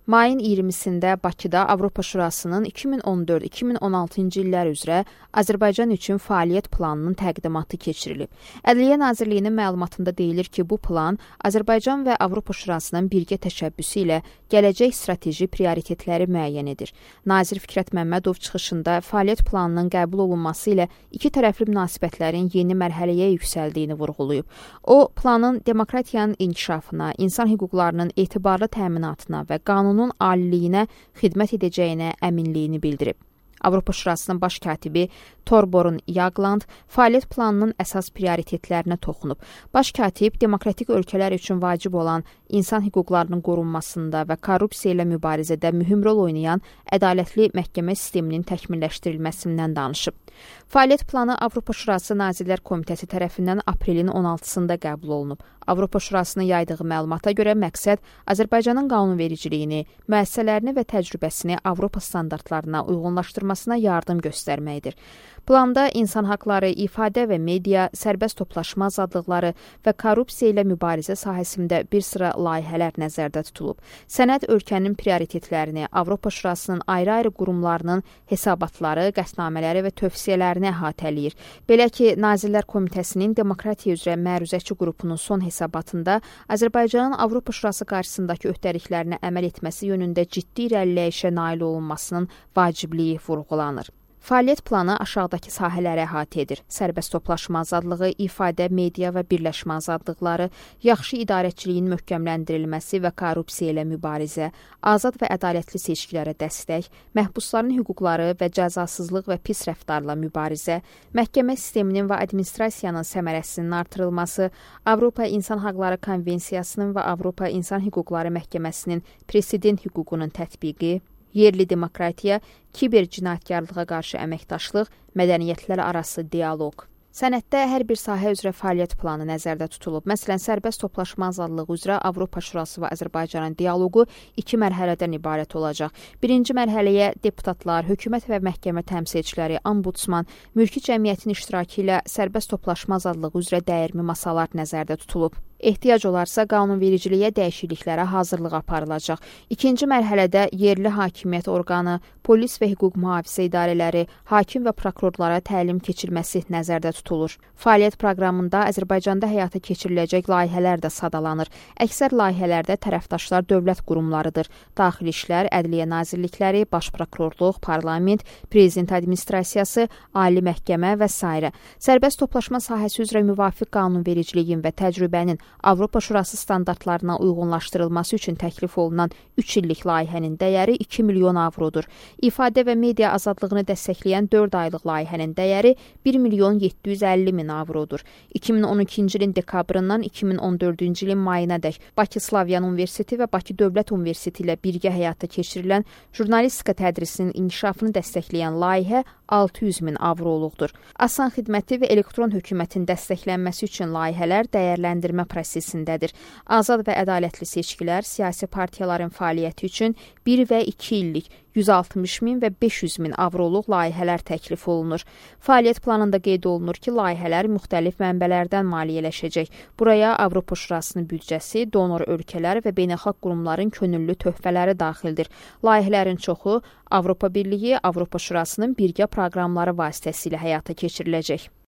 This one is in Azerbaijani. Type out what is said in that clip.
Mayın 20-sində Bakıda Avropa Şurasının 2014-2016-cı illər üzrə Azərbaycan üçün fəaliyyət planının təqdimatı keçirilib. Ədliyyə Nazirliyinin məlumatında deyilir ki, bu plan Azərbaycan və Avropa Şurasının birgə təşəbbüsü ilə gələcək strateji prioritetləri müəyyən edir. Nazir Fikrət Məmmədov çıxışında fəaliyyət planının qəbul olunması ilə iki tərəfli münasibətlərin yeni mərhələyə yüksəldiyini vurğulayıb. O, planın demokratiyanın inkişafına, insan hüquqlarının etibarlı təminatına və qanunun aliliyinə xidmət edəcəyinə əminliyini bildirib. Avropa Şurasının baş katibi Torborun Jagland fəaliyyət planının əsas prioritetlərinə toxunub. Baş katib demokratik ölkələr üçün vacib olan insan hüquqlarının qorunmasında və korrupsiya ilə mübarizədə mühüm rol oynayan ədalətli məhkəmə sisteminin təkmilləşdirilməsindən danışıb. Fəaliyyət planı Avropa Şurası Nazirlər Komitəsi tərəfindən aprelin 16-sında qəbul olunub. Avropa Şurasının yaydığı məlumata görə məqsəd Azərbaycanın qanunvericiliyini, müəssisələrini və təcrübəsini Avropa standartlarına uyğunlaşdırmasına yardım göstərməkdir. Planda insan haqları, ifadə və media, sərbəst toplaşma azadlıqları və korrupsiya ilə mübarizə sahəsində bir sıra layihələr nəzərdə tutulub. Sənəd ölkənin prioritetlərini, Avropa Şurasının ayrı-ayrı qurumlarının hesabatları, qətnamələri və tövsiyələrini əhatələyir. Belə ki, Nazirlər Komitəsinin Demokratiya üzrə məruzəçi qrupunun son hesabatında Azərbaycanın Avropa Şurası qarşısındakı öhdəliklərinə əməl etməsi yönündə ciddi irəliləyişə nail olunmasının vacibliyi vurğulanır. Fəaliyyət planı aşağıdakı sahələri əhatə edir. Sərbəst toplaşma azadlığı, ifadə, media və birləşmə azadlıqları, yaxşı idarəçiliyin möhkəmləndirilməsi və korrupsiya ilə mübarizə, azad və ədalətli seçkilərə dəstək, məhbusların hüquqları və cəzasızlıq və pis rəftarla mübarizə, məhkəmə sisteminin və administrasiyanın səmərəsinin artırılması, Avropa İnsan Haqları Konvensiyasının və Avropa İnsan Hüquqları Məhkəməsinin president hüququnun tətbiqi, yerli demokratiya, kiber cinayətkarlığa qarşı əməkdaşlıq, mədəniyyətlər arası dialoq. Sənəddə hər bir sahə üzrə fəaliyyət planı nəzərdə tutulub. Məsələn, sərbəst toplaşma azadlığı üzrə Avropa Şurası və Azərbaycanın dialoqu 2 mərhələdən ibarət olacaq. Birinci mərhələyə deputatlar, hökumət və məhkəmə təmsilçiləri, ombudsman, mülki cəmiyyətin iştirakı ilə sərbəst toplaşma azadlığı üzrə dəyərli masalar nəzərdə tutulub. Ehtiyac olarsa qanunvericiliyə dəyişikliklərə hazırlıq aparılacaq. İkinci mərhələdə yerli hakimiyyət orqanı, polis və hüquq mühafizə idarələri, hakim və prokurorlara təlim keçirilməsi nəzərdə tutulur. Fəaliyyət proqramında Azərbaycanda həyata keçiriləcək layihələr də sadalanır. Əksər layihələrdə tərəfdaşlar dövlət qurumlarıdır. Daxili İşlər, Ədliyyə Nazirlikləri, Baş Prokurorluq, Parlament, Prezident Administrasiyası, Ali Məhkəmə və s. Sərbəst toplaşma sahəsi üzrə müvafiq qanunvericiliyin və təcrübənin Avropa Şurası standartlarına uyğunlaşdırılması üçün təklif olunan 3 illik layihənin dəyəri 2 milyon avrodur. İfadə və media azadlığını dəstəkləyən 4 aylıq layihənin dəyəri 1 milyon 750 min avrodur. 2012-ci ilin dekabrından 2014-cü ilin mayınadək Bakı Slavyan Universiteti və Bakı Dövlət Universiteti ilə birgə həyata keçirilən jurnalistika tədrisinin inkişafını dəstəkləyən layihə 600 min avroluqdur. Asan xidməti və elektron hökumətin dəstəklənməsi üçün layihələr dəyərləndirmə prosesindədir. Azad və ədalətli seçkilər siyasi partiyaların fəaliyyəti üçün 1 və 2 illik 160 min və 500 min avroluq layihələr təklif olunur. Fəaliyyət planında qeyd olunur ki, layihələr müxtəlif mənbələrdən maliyyələşəcək. Buraya Avropa Şurasının büdcəsi, donor ölkələr və beynəlxalq qurumların könüllü töhfələri daxildir. Layihələrin çoxu Avropa Birliyi, Avropa Şurasının birgə proqramları vasitəsilə həyata keçiriləcək.